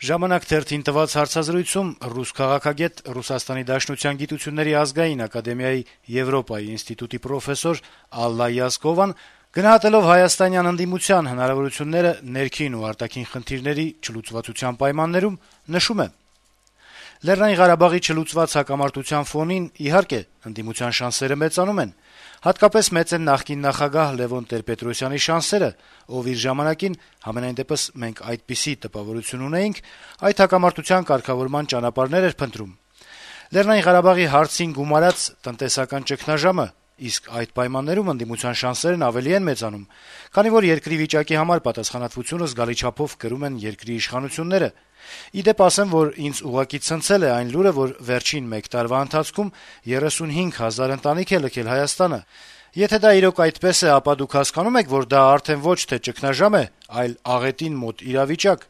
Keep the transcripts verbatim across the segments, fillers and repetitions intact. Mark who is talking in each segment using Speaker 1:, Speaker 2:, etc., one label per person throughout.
Speaker 1: «Ժամանակ» թերթին տված հարցազրույցում ռուս քաղաքագետ, Ռուսաստանի Դաշնության գիտությունների ազգային ակադեմիայի Եվրոպայի ինստիտուտի պրոֆեսոր Ալլա Յազկովան, գնահատելով հայաստանյան ընդդիմության հնարավորությունները ներքին ու արտաքին խնդիրների չլուծվածության պայմաններում, նշում է. - «Լեռնային Ղարաբաղի չլուծված հակամարտության ֆոնին, իհարկե, ընդդիմության շանսերը մեծանում են: Հատկապես մեծ են նախկին նախագահ Լեւոն Տեր-Պետրոսյանի շանսերը, ով իր ժամանակին, համենայն դեպս մենք այդպիսի տպավորություն ունեինք, այդ հակամարտության կարգավորման ճանապարհներ էր փնտրում: Լեռնային Ղարաբաղի հարցին գումարած տնտեսական ճգնաժամը, իսկ այդ պայմաններում ընդդիմության շանսերն ավելի են մեծանում, քանի որ երկրի վիճակի համար պատասխանատվությունը զգալի չափով կրում են երկրի իշխանությունները: Ի դեպ ասեմ, որ ինձ ուղղակի ցնցել է այն լուրը, որ վերջին մեկ տարվա ընթացքում երեսունհինգ հազար ընտանիք է լքել Հայաստանը: Եթե դա իրոք այդպես է, ապա դուք հասկանո՞ւմ եք, որ դա արդեն ոչ թե ճգնաժամ է, այլ աղետին մոտ իրավիճակ: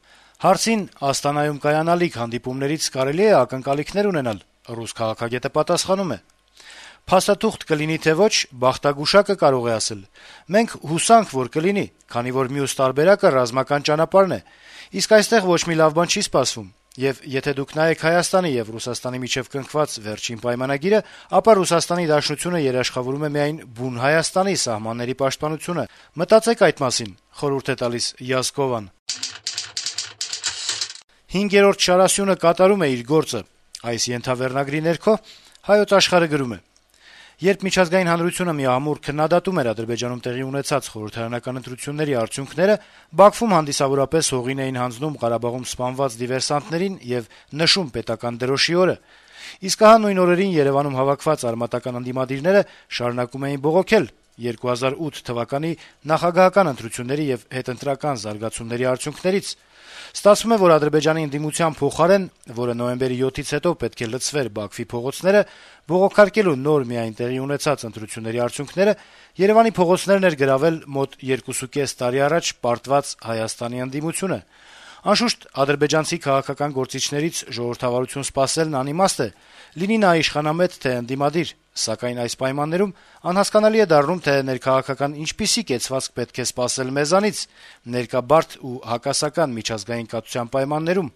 Speaker 1: Հարցին Աստանայում կայանալիք հանդիպումներից կարելի է ակնկալիքներ ունենալ»: Ռուս քաղաքագետը պատասխանում է. - «Փաստաթուղթ կլինի թե ոչ, բախտագուշակը կարող է ասել: Մենք հուսանք, որ կլինի, քանի որ մյուս տարբերակը ռազմական ճանապարհն է: Իսկ այստեղ ոչ մի լավ բան չի սպասվում: Եվ եթե դուք նայեք Հայաստանի եւ Ռուսաստանի միջեւ կնքված վերջին պայմանագիրը, ապա Ռուսաստանի Դաշնությունը երաշխավորում է միայն բուն Հայաստանի սահմանների պաշտպանությունը: Մտածեք այդ մասին»: «Հինգերորդ շարասյունը կատարում է իր գործը» ենթավերնագրի ներքո «Հայոց Աշխարհ»-ը գրում է. - «Երբ միջազգային հանրությունը միամուռ քննադատում էր Ադրբեջանում տեղի ունեցած խորհրդարանական ընտրությունների արդյունքները, Բաքվում հանդիսավորապես հողին էին հանձնում Ղարաբաղում սպանված դիվերսանտներին եւ նշում պետական դրոշի օրը: Իսկ ահա նույն օրերին Երեւանում հավաքված արմատական ընդդիմադիրները շարունակում էին բողոքել երկու հազար ութ թվականի նախագահական ընտրությունների եւ հետընտրական զարգացումների արդյունքներից: Ստացվում է, որ Ադրբեջանի ընդդիմության փոխարեն, որը նոյեմբերի յոթից հետո պետք է լցվեր Բաքվի փողոցները, բողոքարկելու նոր միայն տեղի ունեցած ընտրությունների արդյունքները, Երեւանի փողոցներն էր գրավել մոտ երկուսուկես տարի առաջ պարտված Հայաստանի ընդդիմությունը: Անշուշտ, ադրբեջանցի քաղաքական գործիչներից ժողովրդավարություն սպասելն անիմաստ է, լինի նա իշխանամետ, թե ընդդիմադիր: Սակայն այս պայմաններում անհասկանալի է դառնում, թե ներքաղաքական ինչպիսի կեցվածք պետք է սպասել մեզանից ներկա բարդ ու հակասական միջազգային կացության պայմաններում»: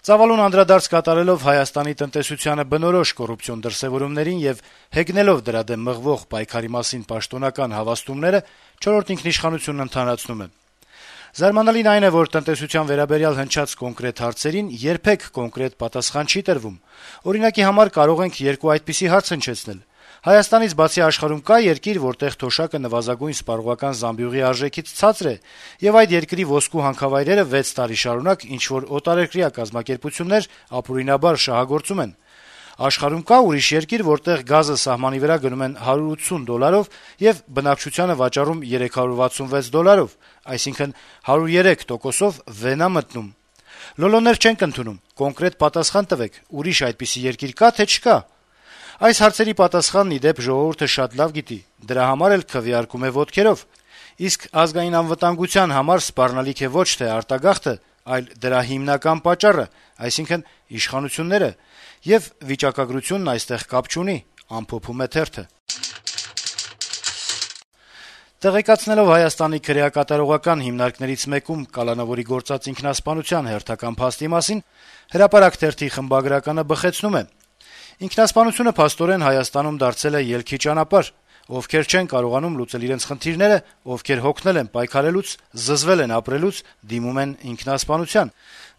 Speaker 1: Ծավալուն անդրադարձ կատարելով Հայաստանի տնտեսությանը բնորոշ կոռուպցիոն դրսեւորումներին եւ հեգնելով դրա դեմ մղվող պայքարի մասին պաշտոնական հավաստումները, «Չորրորդ ինքնիշխանություն»-ն ընդհանրացնում է. - «Զարմանալին այն է, որ տնտեսության վերաբերյալ հնչած կոնկրետ հարցերին երբեք կոնկրետ պատասխան չի տրվում: Օրինակի համար կարող ենք երկու այդպիսի հարց հնչեցնել. Հայաստանից բացի աշխարհում կա՞ երկիր, որտեղ թոշակը նվազագույն սպառողական զամբյուղի արժեքից ցածր է, եւ այդ երկրի ոսկու հանքավայրերը վեց տարի շարունակ ինչ-որ օտարերկրյա կազմակերպություններ ապօրինաբար շահագործում են: Աշխարհում կա՞ ուրիշ երկիր, որտեղ գազը սահմանի վրա գնում են հարյուր ութսուն դոլարով եւ բնակչությանը վաճառում երեք հարյուր վաթսունվեց դոլարով, այսինքն` հարյուր երեք տոկոսով վեն ա մտնում: Լոլոներ չենք ընդունում, կոնկրետ պատասխան տվեք` ուրիշ այդպիսի երկիր կա՞, թե չկա: Այս հարցերի պատասխանն, ի դեպ, ժողովուրդը շատ լավ գիտի, դրա համար էլ քվեարկում է ոտքերով: Իսկ ազգային անվտանգության համար սպառնալիք է ոչ թե արտագաղթը, այլ դրա հիմնական պատճառը, այսինքն` իշխանությունները: Եվ վիճակագրությունն այստեղ կապ չունի»: Տեղեկացնելով Հայաստանի քրեակատարողական հիմնարկներից մեկում կալանավորի գործած ինքնասպանության հերթական փաստի մասին, «Հրապարակ» թերթի խմբագրականը բխեցնում է. - «Ինքնասպանությունը փաստորեն Հայաստանում դարձել է ելքի ճանապարհ: Ովքեր չեն կարողանում լուծել իրենց խնդիրները, ովքեր հոգնել են պայքարելուց, զզվել են ապրելուց, դիմում են ինքնասպանության: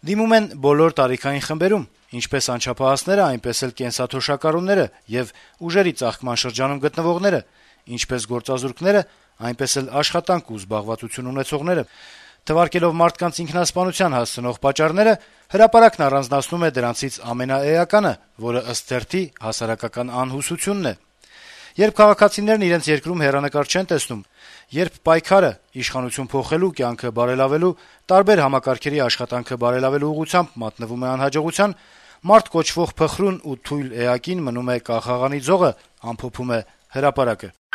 Speaker 1: Դիմում են բոլոր տարիքային խմբերում, ինչպես անչափահասները, այնպես էլ կենսաթոշակառուները եւ ուժերի ծաղկման շրջանում գտնվողները, ինչպես գործազուրկները, այնպես էլ աշխատանք ու զբաղվածություն ունեցողները: Թվարկելով մարդկանց ինքնասպանության հասցնող պատճառները, «Հրապարակ»-ն առանձնացնում է դրանցից ամենաէականը, որը, ըստ թերթի, հասարակական անհուսությունն է: Երբ քաղաքացիներն իրենց երկրում հեռանկար չեն տեսնում, երբ պայքարը իշխանություն փոխելու, կյանքը բարելավելու, տարբեր համակարգերի աշխատանքը բարելավելու ուղղությամբ մատնվում է անհաջողության, մարդ կոչվող փխրուն ու թույլ էակին մնում է կախաղանի ձողը», - ամփոփում է «Հրապարակ»-ը: